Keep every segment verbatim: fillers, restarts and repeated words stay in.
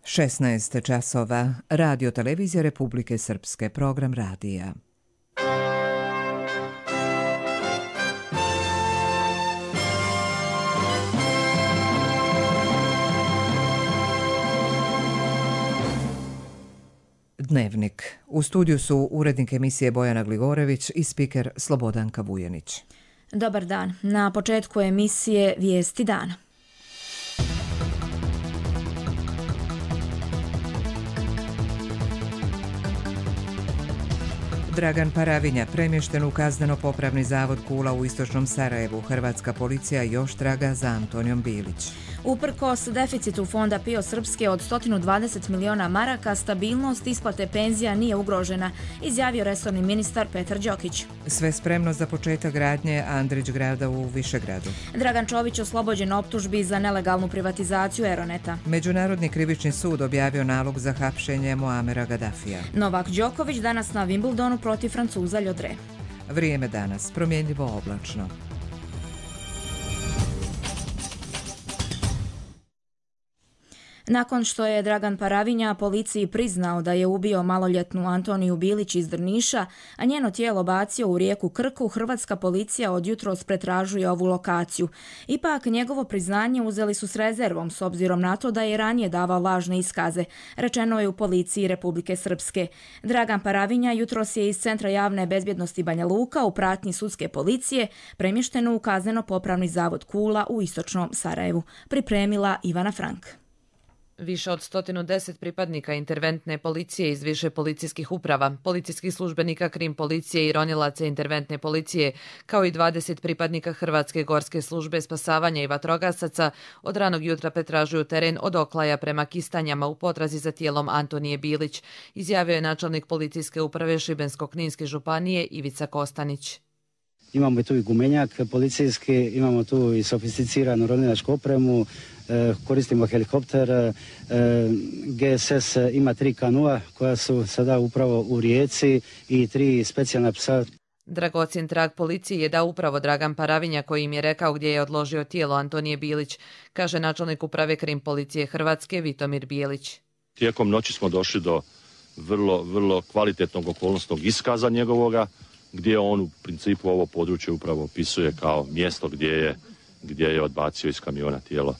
šesnaest časova. Radio Televizija Republike Srpske. Program radija. Dnevnik. U studiju su urednik emisije Bojana Gligorević i spiker Slobodanka Vujanić. Dobar dan. Na početku emisije Vijesti dana. Dragan Paravinja premješten u kazneno-popravni zavod Kula u istočnom Sarajevu. Hrvatska policija još traga za Antonijom Bilić. Uprkos deficitu fonda P I O Srpske od sto dvadeset miliona maraka, stabilnost isplate penzija nije ugrožena, izjavio resorni ministar Petar Đokić. Sve spremno za početak gradnje Andrić grada u Višegradu. Dragan Čović oslobođen optužbi za nelegalnu privatizaciju Eroneta. Međunarodni krivični sud objavio nalog za hapšenje Muamera Gadafija. Novak Đoković danas na Wimbledonu protiv Francuza Ljodre. Vrijeme danas promjenjivo oblačno. Nakon što je Dragan Paravinja policiji priznao da je ubio maloljetnu Antoniju Bilić iz Drniša, a njeno tijelo bacio u rijeku Krku, hrvatska policija od jutros pretražuje ovu lokaciju. Ipak njegovo priznanje uzeli su s rezervom s obzirom na to da je ranije davao lažne iskaze, rečeno je u policiji Republike Srpske. Dragan Paravinja jutros je iz Centra javne bezbjednosti Banja Luka u pratnji sudske policije premješten u kazneno-popravni zavod Kula u istočnom Sarajevu. Pripremila Ivana Frank. Više od sto deset pripadnika interventne policije iz više policijskih uprava, policijskih službenika krim policije i ronilaca interventne policije, kao i dvadeset pripadnika Hrvatske gorske službe spasavanja i vatrogasaca od ranog jutra pretražuju teren od Oklaja prema Kistanjama u potrazi za tijelom Antonije Bilić, izjavio je načelnik policijske uprave Šibensko-kninske županije Ivica Kostanić. Imamo i tu i gumenjak policijski, imamo tu i sofisticiranu ronilačku opremu, koristimo helikopter, G S S ima tri kanua koja su sada upravo u rijeci i tri specijalna psa. Dragocjen trag policiji je dao upravo Dragan Paravinja koji im je rekao gdje je odložio tijelo Antonije Bilić, kaže načelnik uprave krim policije Hrvatske Vitomir Bijelić. Tijekom noći smo došli do vrlo, vrlo kvalitetnog okolnosnog iskaza njegovoga, gdje on u principu ovo područje upravo opisuje kao mjesto gdje je, gdje je odbacio iz kamiona tijelo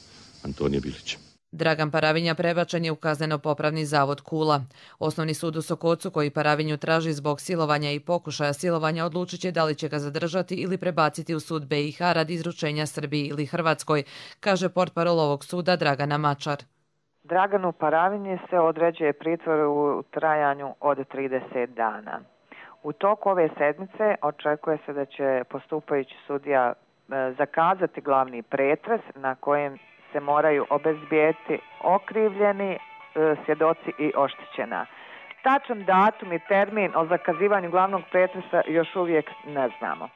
Antonije Bilića. Dragan Paravinja prebačen je u kazneno-popravni zavod Kula. Osnovni sud u Sokocu koji Paravinju traži zbog silovanja i pokušaja silovanja odlučit će da li će ga zadržati ili prebaciti u sud B i H radi izručenja Srbiji ili Hrvatskoj, kaže portparol ovog suda Dragana Mačar. Draganu Paravinji se određuje pritvor u trajanju od trideset dana. U toku ove sedmice očekuje se da će postupajući sudija zakazati glavni pretres na kojem se moraju obezbijeti okrivljeni, svjedoci i oštećena. Tačan datum i termin o zakazivanju glavnog pretresa još uvijek ne znamo.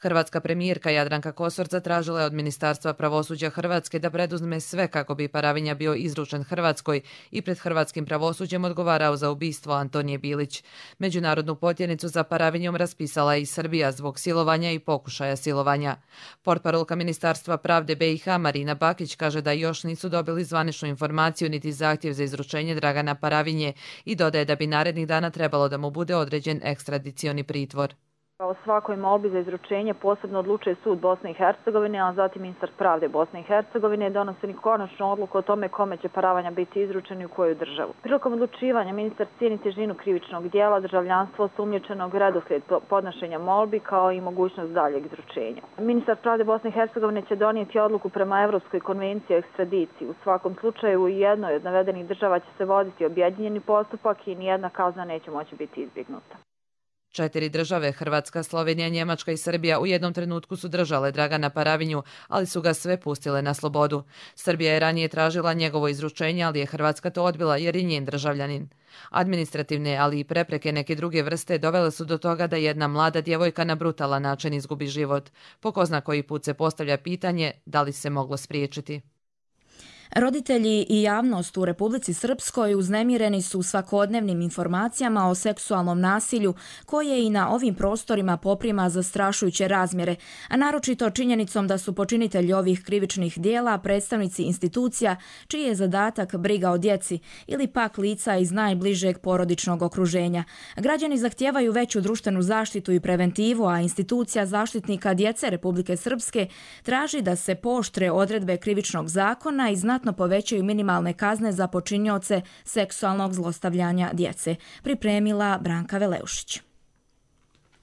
Hrvatska premijerka Jadranka Kosor zatražila je od Ministarstva pravosuđa Hrvatske da preduzme sve kako bi Paravinja bio izručen Hrvatskoj i pred hrvatskim pravosuđem odgovarao za ubistvo Antonije Bilić. Međunarodnu potjernicu za Paravinjom raspisala je i Srbija zbog silovanja i pokušaja silovanja. Portparolka Ministarstva pravde B i H Marina Bakić kaže da još nisu dobili zvaničnu informaciju niti zahtjev za izručenje Dragana Paravinje i dodaje da bi narednih dana trebalo da mu bude određen ekstradicioni pritvor. O svakoj molbi za izručenje posebno odlučuje sud Bosne i Hercegovine, a zatim ministar pravde Bosne i Hercegovine donosi konačnu odluku o tome kome će Paravinja biti izručen i u koju državu. Prilikom odlučivanja ministar cijeni težinu krivičnog dijela, državljanstvo osumnjičenog, redoslijed podnošenja molbi kao i mogućnost daljeg izručenja. Ministar pravde Bosne i Hercegovine će donijeti odluku prema Evropskoj konvenciji o ekstradiciji. U svakom slučaju u jednoj od navedenih država će se voditi objedinjeni postupak i nijedna kazna neće moći biti izbjegnuta. Četiri države, Hrvatska, Slovenija, Njemačka i Srbija, u jednom trenutku su držale Dragana Paravinju, ali su ga sve pustile na slobodu. Srbija je ranije tražila njegovo izručenje, ali je Hrvatska to odbila jer je njen državljanin. Administrativne, ali i prepreke neke druge vrste dovele su do toga da jedna mlada djevojka na brutalan način izgubi život. Po ko zna koji put se postavlja pitanje da li se moglo spriječiti. Roditelji i javnost u Republici Srpskoj uznemireni su svakodnevnim informacijama o seksualnom nasilju koje i na ovim prostorima poprima zastrašujuće razmjere, a naročito činjenicom da su počinitelji ovih krivičnih dijela predstavnici institucija čiji je zadatak briga o djeci ili pak lica iz najbližeg porodičnog okruženja. Građani zahtijevaju veću društvenu zaštitu i preventivu, a institucija zaštitnika djece Republike Srpske traži da se pooštre odredbe krivičnog zakona i znatno povećaju minimalne kazne za počinioce seksualnog zlostavljanja djece. Pripremila Branka Veleušić.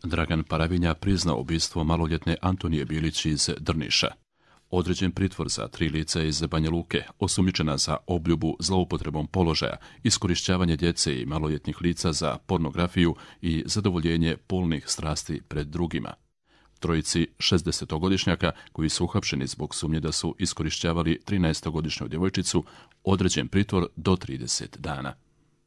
Dragan Paravinja priznao ubistvo maloljetne Antonije Bilić iz Drniša. Određen pritvor za tri lica iz Banja Luke, osumnjičena za obljubu zloupotrebom položaja, iskorišćavanje djece i maloljetnih lica za pornografiju i zadovoljenje polnih strasti pred drugima. Trojici šezdesetogodišnjaka koji su uhapšeni zbog sumnje da su iskorišćavali trinaestogodišnju djevojčicu, određen pritvor do trideset dana.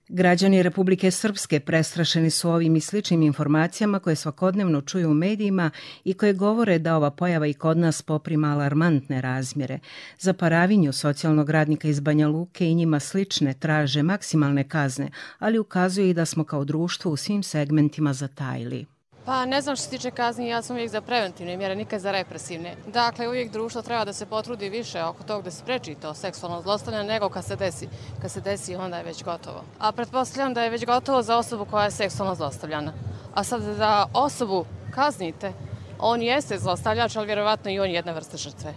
Građani Republike Srpske prestrašeni su ovim i sličnim informacijama koje svakodnevno čuju u medijima i koje govore da ova pojava i kod nas poprima alarmantne razmjere. Za Paravinju, socijalnog radnika iz Banja Luke i njima slične, traže maksimalne kazne, ali ukazuju i da smo kao društvo u svim segmentima zatajili. Pa ne znam što se tiče kazni, ja sam uvijek za preventivne mjere, nikad za represivne. Dakle, uvijek društvo treba da se potrudi više oko tog da se spreči to seksualno zlostavljanje nego kad se desi. Kad se desi, onda je već gotovo. A pretpostavljam da je već gotovo za osobu koja je seksualno zlostavljana. A sad da osobu kaznite, on jeste zlostavljač, ali vjerovatno i on je jedna vrsta žrtve.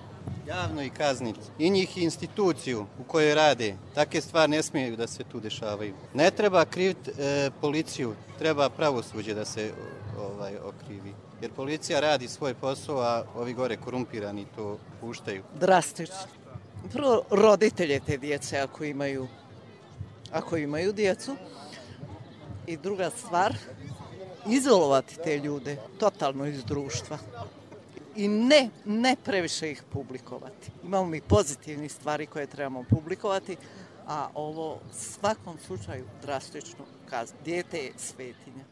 Javno i kazniti i njih i instituciju u kojoj rade. Takve stvari ne smiju da se tu dešavaju. Ne treba kriviti e, policiju, treba pravosuđe da se ovaj, okrivi. Jer policija radi svoj posao, a ovi gore korumpirani to puštaju. Drastično. Prvo roditelje te djece ako imaju, ako imaju djecu. I druga stvar, izolovati te ljude totalno iz društva. I ne, ne previše ih publikovati. Imamo mi pozitivnih stvari koje trebamo publikovati, a ovo u svakom slučaju drastično kazno. Dijete je svetinja.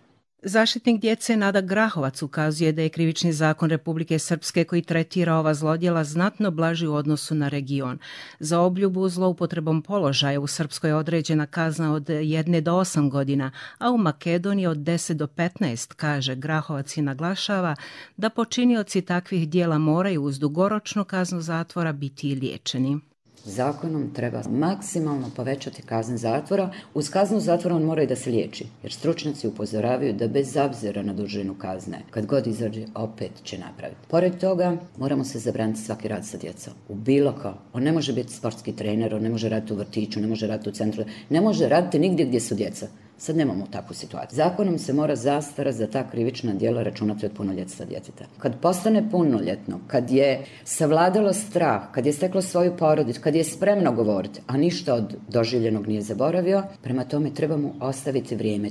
Zaštitnik djece Nada Grahovac ukazuje da je krivični zakon Republike Srpske koji tretira ova zlodjela znatno blaži u odnosu na region. Za obljubu zloupotrebom položaja u Srpskoj je određena kazna od jedne do osam godina, a u Makedoniji od deset do petnaest, kaže Grahovac i naglašava da počinioci takvih dijela moraju uz dugoročnu kaznu zatvora biti i liječeni. Zakonom treba maksimalno povećati kazne zatvora. Uz kaznu zatvora on mora i da se liječi, jer stručnjaci upozoravaju da bez obzira na dužinu kazne, kad god izađe, opet će napraviti. Pored toga, moramo se zabraniti svaki rad sa djecom. U bilo ko. On ne može biti sportski trener, on ne može raditi u vrtiću, ne može raditi u centru, ne može raditi nigdje gdje su djeca. Sad nemamo takvu situaciju. Zakonom se mora zastara za ta krivična djela računati od punoljetstva djeteta. Kad postane punoljetno, kad je savladalo strah, kad je steklo svoju porodicu, kad je spremno govoriti, a ništa od doživljenog nije zaboravio, prema tome trebamo ostaviti vrijeme.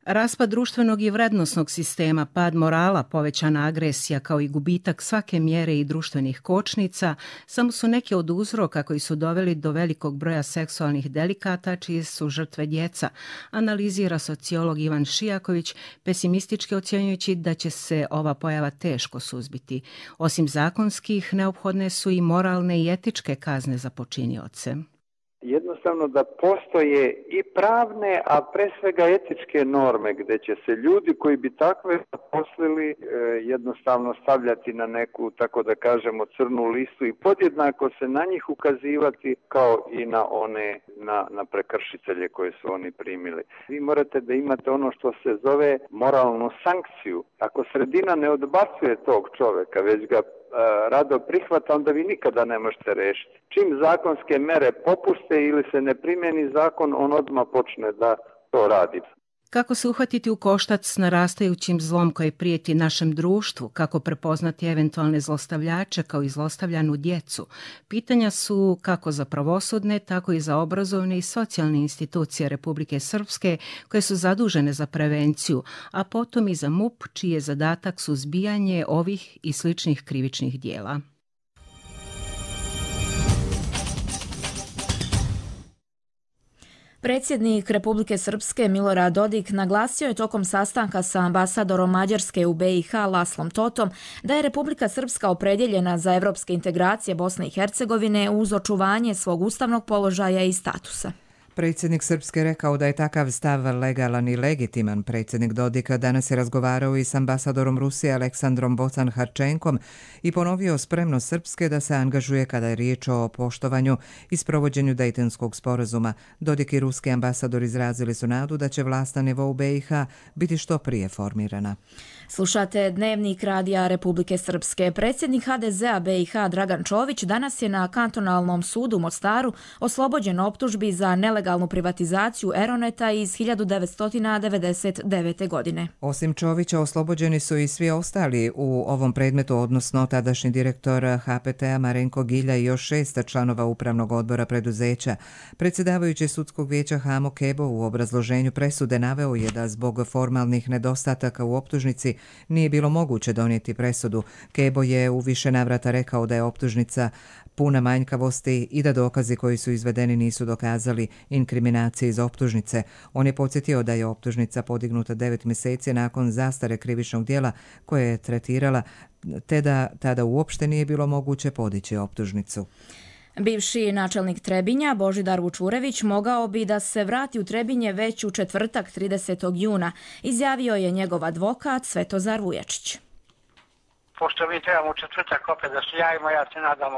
Raspad društvenog i vrednosnog sistema, pad morala, povećana agresija kao i gubitak svake mjere i društvenih kočnica samo su neke od uzroka koji su doveli do velikog broja seksualnih delikata čije su žrtve djeca, analizira sociolog Ivan Šijaković, pesimistički ocjenjujući da će se ova pojava teško suzbiti. Osim zakonskih, neophodne su i moralne i etičke kazne za počinioce. Jednostavno da postoje i pravne, a pre svega etičke norme gdje će se ljudi koji bi takve zaposlili e, jednostavno stavljati na neku, tako da kažemo, crnu listu i podjednako se na njih ukazivati kao i na one, na, na prekršitelje koje su oni primili. Vi morate da imate ono što se zove moralnu sankciju. Ako sredina ne odbacuje tog čoveka, već ga rado prihvata, onda vi nikada ne možete rešiti. Čim zakonske mere popuste ili se ne primjeni zakon, on odmah počne da to radi. Kako se uhvatiti u koštac s narastajućim zlom koji prijeti našem društvu, kako prepoznati eventualne zlostavljače kao i zlostavljanu djecu? Pitanja su kako za pravosudne, tako i za obrazovne i socijalne institucije Republike Srpske koje su zadužene za prevenciju, a potom i za M U P čiji je zadatak suzbijanje ovih i sličnih krivičnih dijela. Predsjednik Republike Srpske Milorad Dodik naglasio je tokom sastanka sa ambasadorom Mađarske u B i H Laslom Totom da je Republika Srpska opredjeljena za evropske integracije Bosne i Hercegovine uz očuvanje svog ustavnog položaja i statusa. Predsjednik Srpske rekao da je takav stav legalan i legitiman. Predsjednik Dodik danas je razgovarao i s ambasadorom Rusije Aleksandrom Bocan-Harčenkom i ponovio spremnost Srpske da se angažuje kada je riječ o poštovanju i sprovođenju Dejtonskog sporazuma. Dodik i ruski ambasador izrazili su nadu da će vlast na nivou B i H biti što prije formirana. Slušate Dnevnik radija Republike Srpske. Predsjednik H D Z-a B i H Dragan Čović danas je na kantonalnom sudu u Mostaru oslobođen optužbi za nelegalnu privatizaciju Eroneta iz hiljadu devetsto devedeset devete. godine. Osim Čovića oslobođeni su i svi ostali u ovom predmetu, odnosno tadašnji direktor H P T-a Marenko Gilja i još šest članova upravnog odbora preduzeća. Predsjedavajući sudskog vijeća Hamo Kebo u obrazloženju presude naveo je da zbog formalnih nedostataka u optužnici nije bilo moguće donijeti presudu. Kebo je u više navrata rekao da je optužnica puna manjkavosti i da dokazi koji su izvedeni nisu dokazali inkriminacije iz optužnice. On je podsjetio da je optužnica podignuta devet mjeseci nakon zastare krivičnog djela koje je tretirala, te da tada uopšte nije bilo moguće podići optužnicu. Bivši načelnik Trebinja Božidar Vučurević mogao bi da se vrati u Trebinje već u četvrtak tridesetog juna, izjavio je njegov advokat Svetozar Vujačić. Pošto mi trebamo u četvrtak opet da se javimo, ja se nadam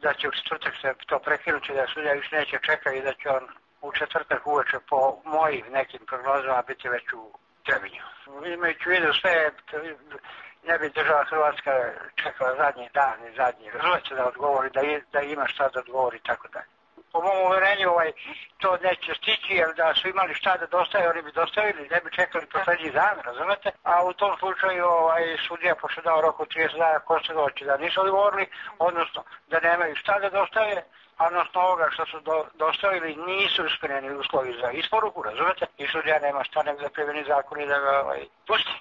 da će u četvrtak se to prekinuti, da sudija više neće čekati i da će on u četvrtak uveče po mojim nekim prognozama biti već u Trebinju. Imajući u vidu sve, ne bi država Hrvatska čekala zadnji dan i zadnji rezultat da odgovori, da, da ima šta da odgovori i tako dalje. Po mom uvjerenju ovaj, to neće stići, jer da su imali šta da dostave, oni bi dostavili, ne bi čekali poslednji dan, razumete? A u tom slučaju ovaj, sudija, pošto dao rok od trideset dana, posle doći da nisu odgovorili, odnosno da nemaju šta da dostave, a odnosno ovoga što su do, dostavili nisu ispunjeni uslovi za isporuku, razumete? I sudija nema šta nego da primjeni zakon i da ga ovaj, pusti.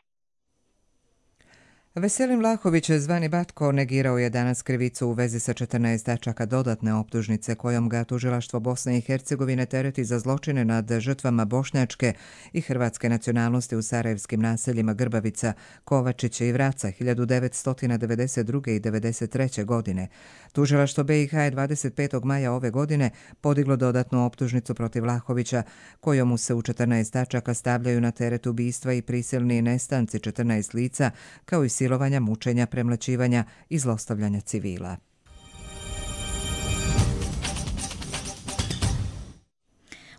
Veselin Vlahović, zvani Batko, negirao je danas krivicu u vezi sa četrnaest tačaka dodatne optužnice kojom ga tužilaštvo Bosne i Hercegovine tereti za zločine nad žrtvama bošnjačke i hrvatske nacionalnosti u sarajevskim naseljima Grbavica, Kovačića i Vraca hiljadu devetsto devedeset druge. i devedeset treće. godine. Tužilaštvo B i H je dvadeset petog maja ove godine podiglo dodatnu optužnicu protiv Vlahovića kojom mu se u četrnaest tačaka stavljaju na teret ubistva i prisilni nestanci četrnaest lica kao i silovanja, mučenja, premlaćivanja i zlostavljanja civila.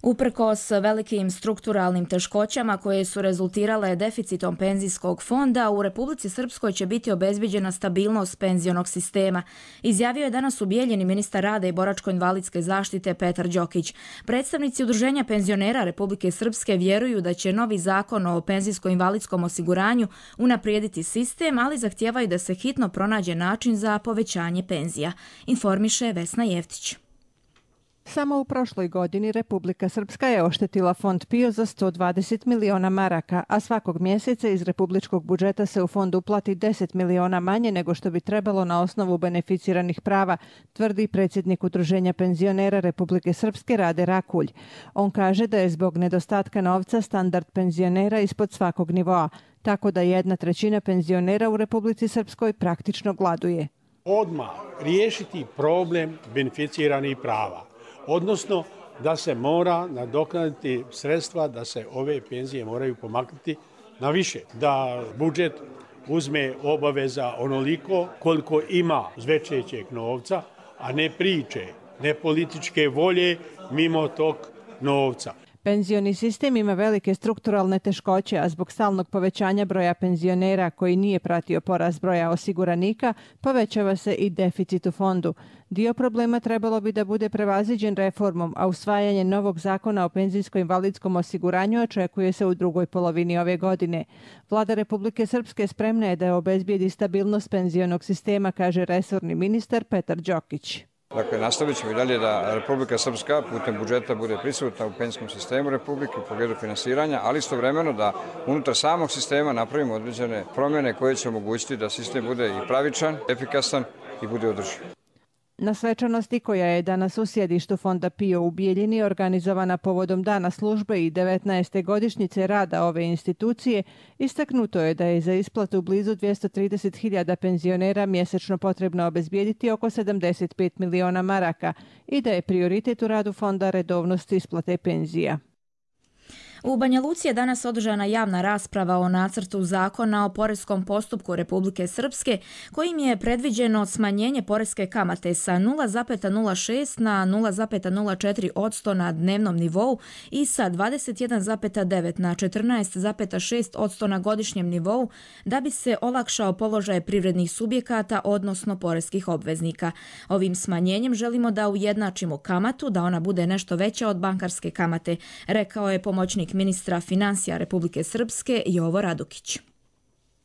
Uprkos velikim strukturalnim teškoćama koje su rezultirale deficitom penzijskog fonda, u Republici Srpskoj će biti obezbiđena stabilnost penzionog sistema, izjavio je danas u Bijeljini ministar rada i boračko-invalidske zaštite Petar Đokić. Predstavnici Udruženja penzionera Republike Srpske vjeruju da će novi zakon o penzijsko-invalidskom osiguranju unaprijediti sistem, ali zahtijevaju da se hitno pronađe način za povećanje penzija, informiše Vesna Jevtić. Samo u prošloj godini Republika Srpska je oštetila fond PIO za sto dvadeset miliona maraka, a svakog mjeseca iz republičkog budžeta se u fond uplati deset miliona manje nego što bi trebalo na osnovu beneficiranih prava, tvrdi predsjednik Udruženja penzionera Republike Srpske Rade Rakulj. On kaže da je zbog nedostatka novca standard penzionera ispod svakog nivoa, tako da jedna trećina penzionera u Republici Srpskoj praktično gladuje. Odmah riješiti problem beneficiranih prava. Odnosno da se mora nadoknaditi sredstva, da se ove penzije moraju pomaknuti na više. Da budžet uzme obaveza onoliko koliko ima zvećećeg novca, a ne priče, ne političke volje mimo tog novca. Penzioni sistem ima velike strukturalne teškoće, a zbog stalnog povećanja broja penzionera koji nije pratio porast broja osiguranika, povećava se i deficit u fondu. Dio problema trebalo bi da bude prevaziđen reformom, a usvajanje novog zakona o penzijsko-invalidskom osiguranju očekuje se u drugoj polovini ove godine. Vlada Republike Srpske spremna je da obezbijedi stabilnost penzionog sistema, kaže resorni ministar Petar Đokić. Dakle, nastavit ćemo i dalje da Republika Srpska putem budžeta bude prisutna u penzijskom sistemu Republike u pogledu finansiranja, ali istovremeno da unutar samog sistema napravimo određene promjene koje će omogućiti da sistem bude i pravičan, efikasan i bude održiv. Na svečanosti koja je danas u sjedištu Fonda PIO u Bijeljini organizovana povodom Dana službe i devetnaeste godišnjice rada ove institucije, istaknuto je da je za isplatu blizu dvjesto trideset hiljada penzionera mjesečno potrebno obezbijediti oko sedamdeset pet miliona maraka i da je prioritet u radu fonda redovnost isplate penzija. U Banja Luci je danas održana javna rasprava o nacrtu zakona o poreskom postupku Republike Srpske, kojim je predviđeno smanjenje poreske kamate sa nula zarez nula šest na nula zarez nula četiri posto na dnevnom nivou i sa dvadeset jedan zarez devet na četrnaest zarez šest posto na godišnjem nivou, da bi se olakšao položaj privrednih subjekata, odnosno poreskih obveznika. Ovim smanjenjem želimo da ujednačimo kamatu, da ona bude nešto veća od bankarske kamate, rekao je pomoćnik ministra financija Republike Srpske Jovo Radukić.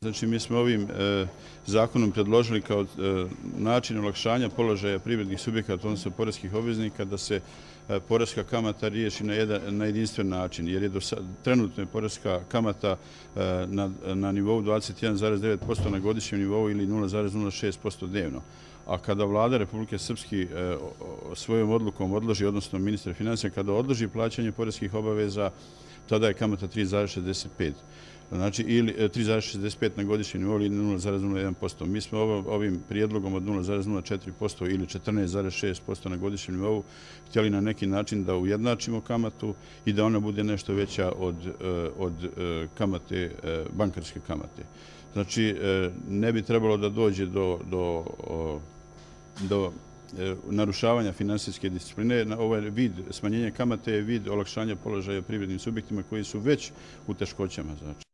Znači, mi smo ovim e, zakonom predložili kao e, način olakšanja položaja privrednih subjekata, odnosno poreskih obveznika, da se e, poreska kamata riješi na, jedan, na jedinstven način, jer je do sad, trenutno je poreska kamata e, na, na nivou dvadeset jedan zarez devet posto na godišnjem nivou ili nula zarez nula šest posto dnevno. A kada vlada Republike Srpske e, svojom odlukom odloži, odnosno ministar financija, kada odloži plaćanje poreskih obaveza, tada je kamata tri zarez šezdeset pet. Znači, ili tri zarez šezdeset pet na godišnjem nivou ili nula zarez nula jedan posto. Mi smo ovim prijedlogom od nula zarez nula četiri posto ili četrnaest zarez šest posto na godišnjem nivou htjeli na neki način da ujednačimo kamatu i da ona bude nešto veća od, od kamate, bankarske kamate. Znači, ne bi trebalo da dođe do, do, do narušavanja finansijske discipline. Ovaj vid smanjenja kamate je vid olakšanja položaja privrednim subjektima koji su već u teškoćama. Znači.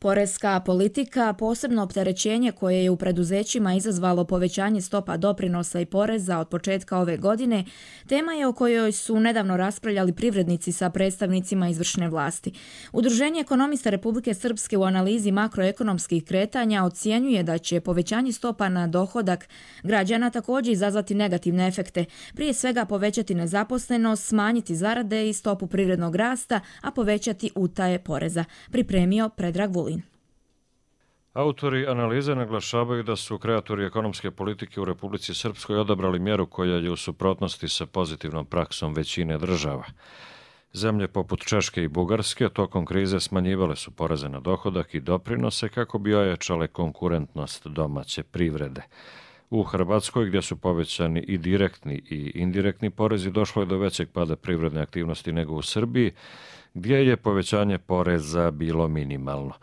Poreska politika, posebno opterećenje koje je u preduzećima izazvalo povećanje stopa doprinosa i poreza od početka ove godine, tema je o kojoj su nedavno raspravljali privrednici sa predstavnicima izvršne vlasti. Udruženje ekonomista Republike Srpske u analizi makroekonomskih kretanja ocjenjuje da će povećanje stopa na dohodak građana također izazvati negativne efekte, prije svega povećati nezaposlenost, smanjiti zarade i stopu privrednog rasta, a povećati utaje poreza. Pripremio Predrag Vulin. Autori analize naglašavaju da su kreatori ekonomske politike u Republici Srpskoj odabrali mjeru koja je u suprotnosti sa pozitivnom praksom većine država. Zemlje poput Češke i Bugarske tokom krize smanjivale su poreze na dohodak i doprinose kako bi ojačale konkurentnost domaće privrede. U Hrvatskoj, gdje su povećani i direktni i indirektni porezi, došlo je do većeg pada privredne aktivnosti nego u Srbiji, gdje je povećanje poreza bilo minimalno.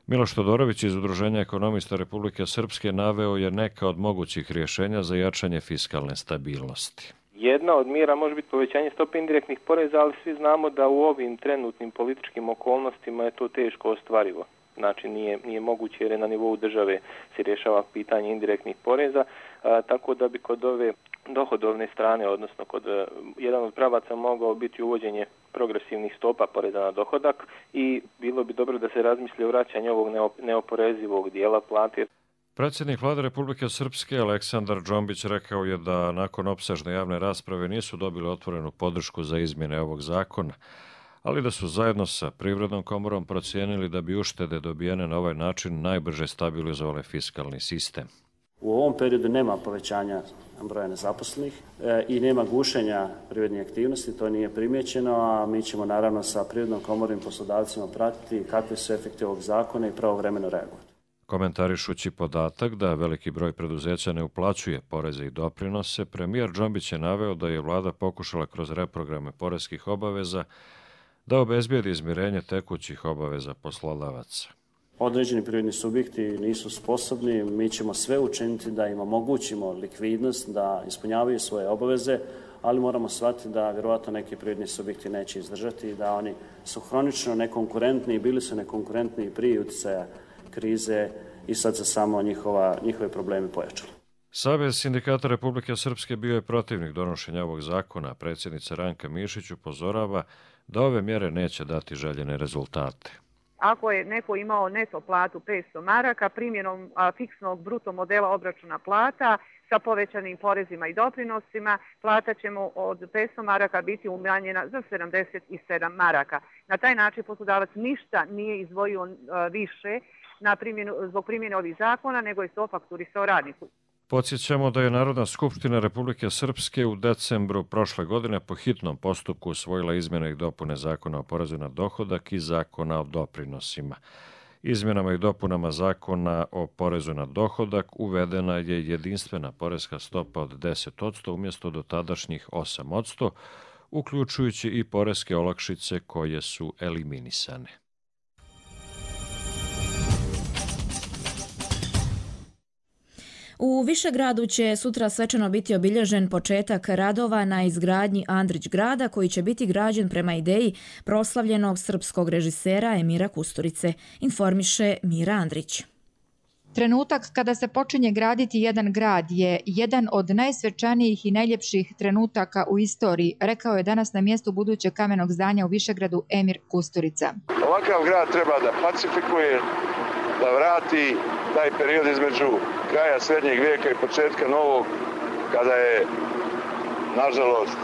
Miloš Todorović iz Udruženja ekonomista Republike Srpske naveo je neka od mogućih rješenja za jačanje fiskalne stabilnosti. Jedna od mjera može biti povećanje stope indirektnih poreza, ali svi znamo da u ovim trenutnim političkim okolnostima je to teško ostvarivo. Znači nije, nije moguće jer je na nivou države se rješava pitanje indirektnih poreza, a, tako da bi kod ove dohodovne strane, odnosno kod a, jedan od pravaca mogao biti uvođenje progresivnih stopa poreza na dohodak i bilo bi dobro da se razmisli o vraćanju ovog neoporezivog dijela plate. Predsjednik Vlade Republike Srpske Aleksandar Džombić rekao je da nakon opsežne javne rasprave nisu dobili otvorenu podršku za izmjene ovog zakona, ali da su zajedno sa Privrednom komorom procijenili da bi uštede dobijene na ovaj način najbrže stabilizovale fiskalni sistem. U ovom periodu nema povećanja broja nezaposlenih e, i nema gušenja privrednih aktivnosti, to nije primjećeno, a mi ćemo naravno sa Privrednom komorom i poslodavcima pratiti kakve su efekti ovog zakona i pravovremeno reagovati. Komentarišući podatak da veliki broj preduzeća ne uplaćuje poreze i doprinose, premijer Džombić je naveo da je vlada pokušala kroz reprograme poreskih obaveza da obezbijedi izmirenje tekućih obaveza poslodavaca. Određeni privredni subjekti nisu sposobni, mi ćemo sve učiniti da im omogućimo likvidnost, da ispunjavaju svoje obaveze, ali moramo shvatiti da vjerovatno neki privredni subjekti neće izdržati, da oni su hronično nekonkurentni i bili su nekonkurentni prije utjecaja krize i sad se samo njihova, njihove problemi pojačali. Savez sindikata Republike Srpske bio je protivnik donošenja ovog zakona. Predsjednica Ranka Mišić upozorava da ove mjere neće dati željene rezultate. Ako je neko imao neto platu petsto maraka, primjenom a, fiksnog bruto modela obračuna plata sa povećanim porezima i doprinosima, plata će mu od petsto maraka biti umanjena za sedamdeset sedam maraka. Na taj način poslodavac ništa nije izdvojio a, više na primjenu, zbog primjene ovih zakona, nego je to fakturisao radniku. Podsjećamo da je Narodna skupština Republike Srpske u decembru prošle godine po hitnom postupku usvojila izmjene i dopune Zakona o porezu na dohodak i Zakona o doprinosima. Izmjenama i dopunama Zakona o porezu na dohodak uvedena je jedinstvena poreska stopa od deset posto umjesto dotadašnjih osam posto, uključujući i poreske olakšice koje su eliminisane. U Višegradu će sutra svečano biti obilježen početak radova na izgradnji Andrić grada koji će biti građen prema ideji proslavljenog srpskog režisera Emira Kusturice, informiše Mira Andrić. Trenutak kada se počinje graditi jedan grad je jedan od najsvečanijih i najljepših trenutaka u istoriji, rekao je danas na mjestu budućeg kamenog zdanja u Višegradu Emir Kusturica. Ovakav grad treba da pacifikuje, da vrati taj period između kraja srednjeg vijeka i početka novog, kada je, nažalost,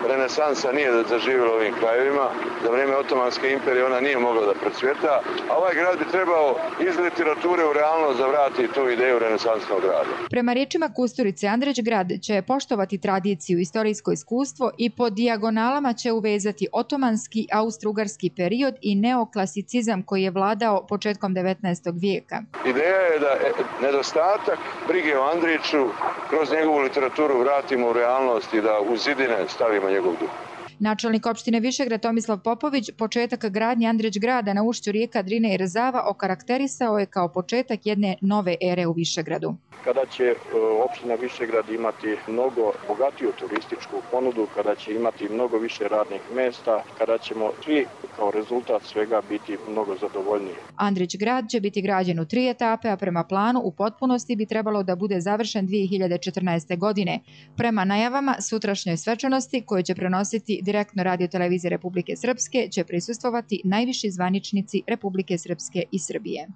renesansa nije zaživjela ovim krajevima. Za vrijeme Otomanske imperije ona nije mogla da procvjeta, a ovaj grad bi trebao iz literature u realnost da vrati tu ideju renesansnog grada. Prema riječima Kusturice, Andrić grad će poštovati tradiciju, istorijsko iskustvo i po dijagonalama će uvezati otomanski, austrougarski period i neoklasicizam koji je vladao početkom devetnaestog vijeka. Ideja je da nedostatak brige o Andriću kroz njegovu literaturu vratimo u realnost i da u zidine stavimo njegov duh. Načelnik opštine Višegrad Tomislav Popović početak gradnje Andrić grada na ušću rijeka Drine i Rezava okarakterisao je kao početak jedne nove ere u Višegradu. Kada će opština Višegrad imati mnogo bogatiju turističku ponudu, kada će imati mnogo više radnih mjesta, kada ćemo svi kao rezultat svega biti mnogo zadovoljniji. Andrić grad će biti građen u tri etape, a prema planu u potpunosti bi trebalo da bude završen dvije hiljade četrnaeste. godine. Prema najavama sutrašnjoj svečanosti koje će prenositi direktno Radio televizije Republike Srpske će prisustvovati najviši zvaničnici Republike Srpske i Srbije.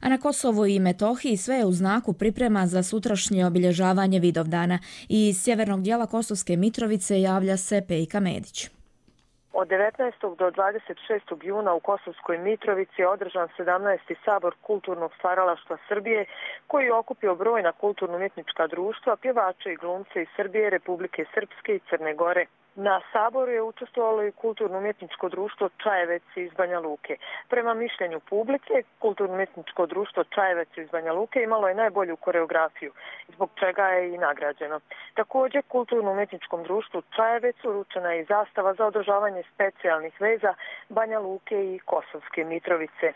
A na Kosovu i Metohiji sve je u znaku priprema za sutrašnje obilježavanje Vidovdana. Iz sjevernog dijela Kosovske Mitrovice javlja se Pejka Medić. Od devetnaestog do dvadeset šestog juna u Kosovskoj Mitrovici je održan sedamnaesti sabor kulturnog stvaralaštva Srbije koji je okupio brojna kulturno-umjetnička društva, pjevače i glumce iz Srbije, Republike Srpske i Crne Gore. Na saboru je učestvovalo i kulturno-umjetničko društvo Čajevec iz Banja Luke. Prema mišljenju publike, kulturno-umjetničko društvo Čajevec iz Banja Luke imalo je najbolju koreografiju, zbog čega je i nagrađeno. Također, kulturno-umjetničkom društvu Čajevec uručena je i zastava za održavanje specijalnih veza Banja Luke i Kosovske Mitrovice.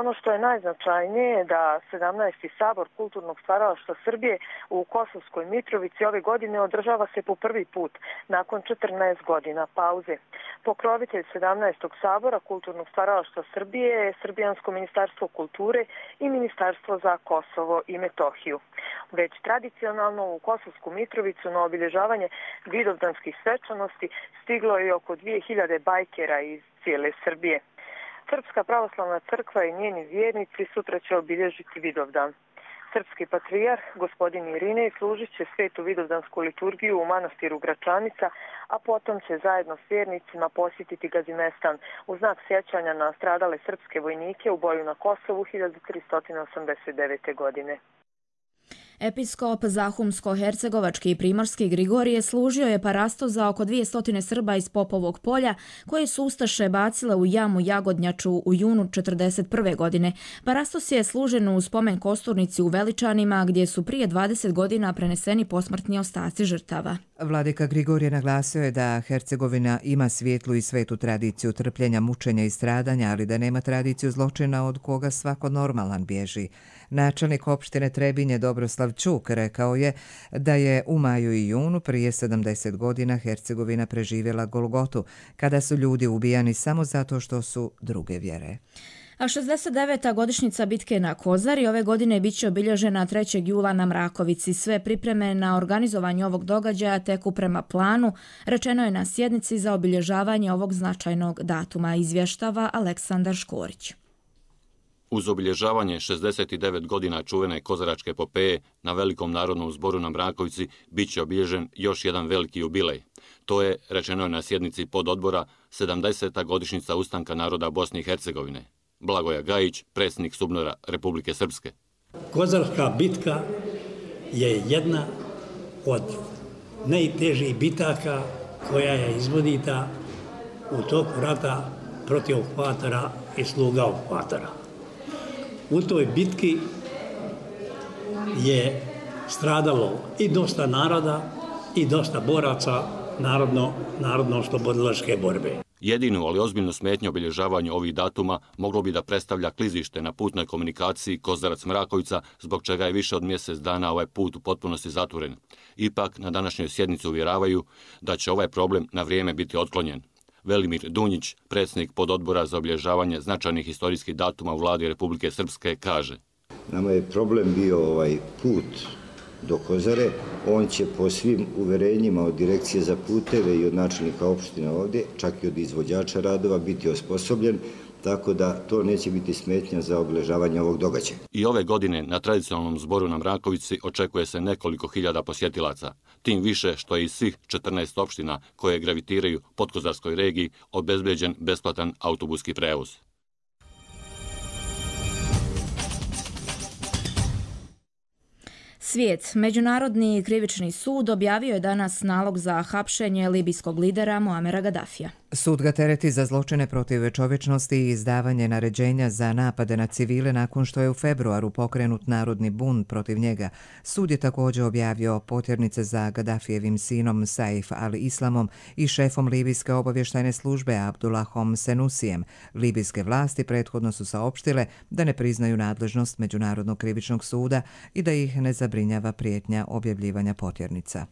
Ono što je najznačajnije je da sedamnaesti sabor kulturnog stvaralaštva Srbije u Kosovskoj Mitrovici ove godine održava se po prvi put nakon četrnaest godina pauze. Pokrovitelj sedamnaestog sabora kulturnog stvaralaštva Srbije je Srbijansko ministarstvo kulture i Ministarstvo za Kosovo i Metohiju. Već tradicionalno u Kosovsku Mitrovicu na obilježavanje vidovdanskih svečanosti stiglo je oko dvije hiljade bajkera iz cijele Srbije. Srpska pravoslavna crkva i njeni vjernici sutra će obilježiti Vidovdan. Srpski patrijarh, gospodin Irinej, služit će svetu vidovdansku liturgiju u manastiru Gračanica, a potom će zajedno s vjernicima posjetiti Gazimestan u znak sjećanja na stradale srpske vojnike u boju na Kosovu hiljadu tristo osamdeset devete. godine. Episkop Zahumsko-hercegovački i primorski Grigorije služio je parasto za oko dvjesto Srba iz Popovog polja koje su ustaše bacile u jamu Jagodnjaču u junu četrdeset prve. godine. Parastos je služen u spomen kosturnici u Veličanima gdje su prije dvadeset godina preneseni posmrtni ostaci žrtava. Vladika Grigorije naglasio je da Hercegovina ima svijetlu i svetu tradiciju trpljenja, mučenja i stradanja, ali da nema tradiciju zločina od koga svako normalan bježi. Načelnik opštine Trebinje Dobroslav Čuk rekao je da je u maju i junu prije sedamdeset godina Hercegovina preživjela Golgotu, kada su ljudi ubijani samo zato što su druge vjere. A šezdeset deveta godišnjica bitke na Kozari ove godine biće obilježena trećeg jula na Mrakovici. Sve pripreme na organizovanje ovog događaja teku prema planu, rečeno je na sjednici za obilježavanje ovog značajnog datuma, izvještava Aleksandar Škorić. Uz obilježavanje šezdeset devet godina čuvene kozaračke epopeje na Velikom narodnom zboru na Mrakovici bit će obilježen još jedan veliki jubilej. To je, rečeno je na sjednici pododbora, sedamdeseta godišnjica ustanka naroda Bosne i Hercegovine. Blagoja Gajić, predsjednik SUBNOR-a Republike Srpske. Kozarska bitka je jedna od najtežih bitaka koja je izvodita u toku rata protiv okupatora i sluga okupatora. U toj bitki je stradalo i dosta naroda i dosta boraca narodno, narodno-oslobodilačke borbe. Jedinu, ali ozbiljnu smetnju obilježavanju ovih datuma moglo bi da predstavlja klizište na putnoj komunikaciji Kozarac-Mrakovica, zbog čega je više od mjesec dana ovaj put u potpunosti zatvoren. Ipak, na današnjoj sjednici uvjeravaju da će ovaj problem na vrijeme biti otklonjen. Velimir Dunjić, predsjednik pododbora za obilježavanje značajnih historijskih datuma u vladi Republike Srpske, kaže: Nama je problem bio ovaj put do Kozare. On će po svim uverenjima od Direkcije za puteve i od načelnika opštine ovdje, čak i od izvođača radova, biti osposobljen, tako da to neće biti smetnja za obilježavanje ovog događaja. I ove godine na tradicionalnom zboru na Mrakovici očekuje se nekoliko hiljada posjetilaca. Tim više što je iz svih četrnaest opština koje gravitiraju podkozarskoj regiji obezbeđen besplatan autobuski prevoz. Svijet. Međunarodni krivični sud objavio je danas nalog za hapšenje libijskog lidera Muamera Gadafija. Sud ga tereti za zločine protiv čovječnosti i izdavanje naređenja za napade na civile nakon što je u februaru pokrenut narodni bunt protiv njega. Sud je također objavio potjernice za Gadafijevim sinom Saif al-Islamom i šefom libijske obavještajne službe Abdullahom Senusijem. Libijske vlasti prethodno su saopštile da ne priznaju nadležnost Međunarodnog krivičnog suda i da ih ne zabrinjava prijetnja objavljivanja potjernica.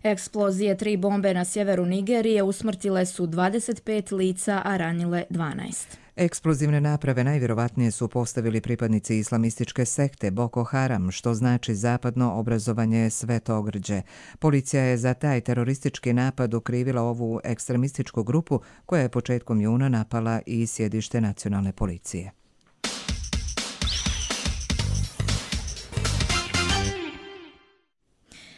Eksplozije tri bombe na sjeveru Nigerije usmrtile su dvadeset pet lica, a ranile dvanaest. Eksplozivne naprave najvjerovatnije su postavili pripadnici islamističke sekte Boko Haram, što znači zapadno obrazovanje Svetogrđe. Policija je za taj teroristički napad okrivila ovu ekstremističku grupu koja je početkom juna napala i sjedište nacionalne policije.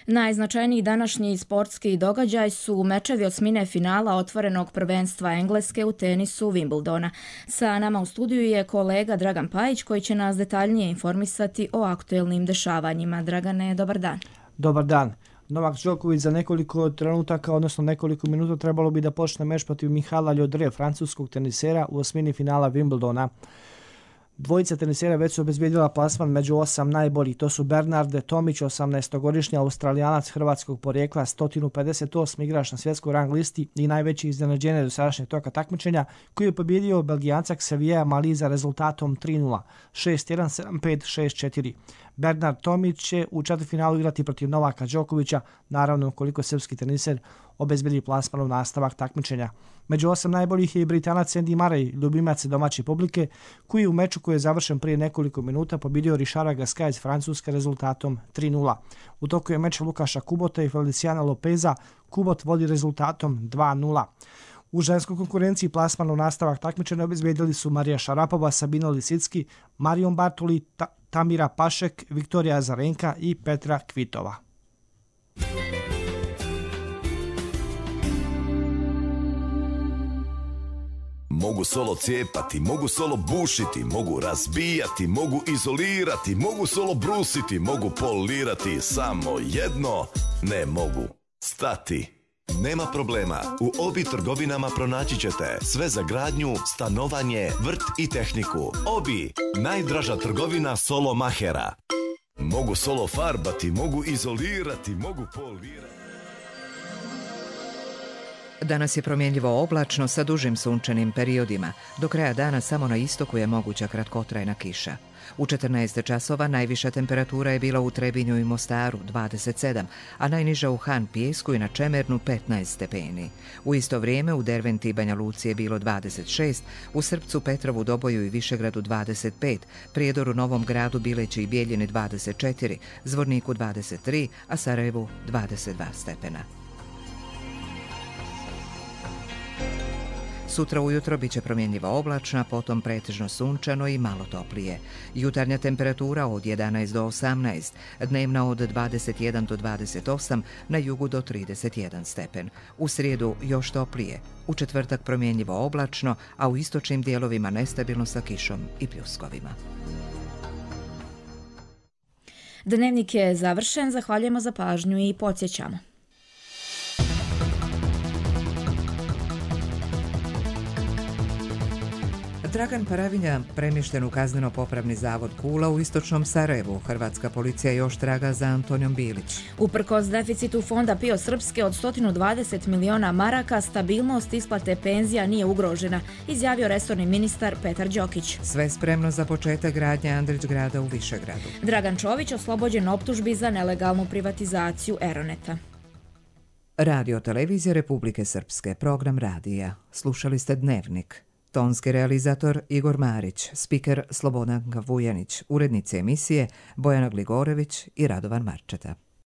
Najznačajniji današnji sportski događaj su mečevi osmine finala otvorenog prvenstva Engleske u tenisu Wimbledona. Sa nama u studiju je kolega Dragan Pajić koji će nas detaljnije informisati o aktuelnim dešavanjima. Dragane, dobar dan. Dobar dan. Novak Đoković za nekoliko trenutaka, odnosno nekoliko minuta trebalo bi da počne meč protiv Mihala Ljodre, francuskog tenisera u osmini finala Wimbledona. Dvojica tenisera već su obezbijedila plasman među osam najboljih. To su Bernarde Tomić, osamnaestogodišnji Australijanac hrvatskog porijekla, sto pedeset osmi igrač na svjetskoj rang listi i najveći iznenađenje do sadašnjeg toka takmičenja, koji je pobjedio Belgijanca Xaviera Maliza rezultatom tri nula, šest jedan, sedam pet, šest četiri. Bernard Tomić će u četvrtfinalu igrati protiv Novaka Đokovića, naravno ukoliko srpski teniser obezbedi plasman u nastavak takmičenja. Među osam najboljih je i Britanac Andy Murray, ljubimac domaće publike, koji je u meču koji je završen prije nekoliko minuta pobjedio Richarda Gasquet iz Francuske rezultatom tri nula. U toku je meč Lukaša Kubota i Feliciana Lopeza, Kubot vodi rezultatom dva nula. U ženskoj konkurenciji plasman u nastavak takmičenja obezbedili su Marija Šarapova, Sabina Lisicki, Marion Bartoli, Ta- Tamira Pašek, Viktorija Azarenka i Petra Kvitova. Mogu solo cijepati, mogu solo bušiti, mogu razbijati, mogu izolirati, mogu solo brusiti, mogu polirati, samo jedno ne mogu stati. Nema problema, u Obi trgovinama pronaći ćete sve za gradnju, stanovanje, vrt i tehniku. Obi, najdraža trgovina solo mahera. Mogu solo farbati, mogu izolirati, mogu polirati. Danas je promjenljivo oblačno sa dužim sunčanim periodima. Do kraja dana samo na istoku je moguća kratkotrajna kiša. U četrnaest časova najviša temperatura je bila u Trebinju i Mostaru dvadeset sedam, a najniža u Han Pijesku i na Čemernu petnaest stepeni. U isto vrijeme u Derventi i Banja Luci je bilo dvadeset šest, u Srpcu, Petrovu, Doboju i Višegradu dvadeset pet, Prijedoru, Novom Gradu, Bileći i Bijeljini dvadeset četiri, Zvorniku dvadeset tri, a Sarajevu dvadeset dva stepena. Sutra ujutro biće promjenljiva oblačna, potom pretežno sunčano i malo toplije. Jutarnja temperatura od jedanaest do osamnaest, dnevna od dvadeset jedan do dvadeset osam, na jugu do trideset jedan stepen. U srijedu još toplije, u četvrtak promjenljivo oblačno, a u istočnim dijelovima nestabilno sa kišom i pljuskovima. Dnevnik je završen, zahvaljujemo za pažnju i podsjećamo. Dragan Paravinja premješten u kazneno-popravni zavod Kula u istočnom Sarajevu. Hrvatska policija još traga za Antonijom Bilić. Uprkos deficitu fonda PIO Srpske od sto dvadeset miliona maraka, stabilnost isplate penzija nije ugrožena, izjavio resorni ministar Petar Đokić. Sve spremno za početak gradnje Andrić grada u Višegradu. Dragan Čović oslobođen optužbi za nelegalnu privatizaciju Eroneta. Radio televizija Republike Srpske, program radija. Slušali ste Dnevnik. Tonski realizator Igor Marić, spiker Slobodan Vujanić, urednice emisije Bojana Gligorević i Radovan Marčeta.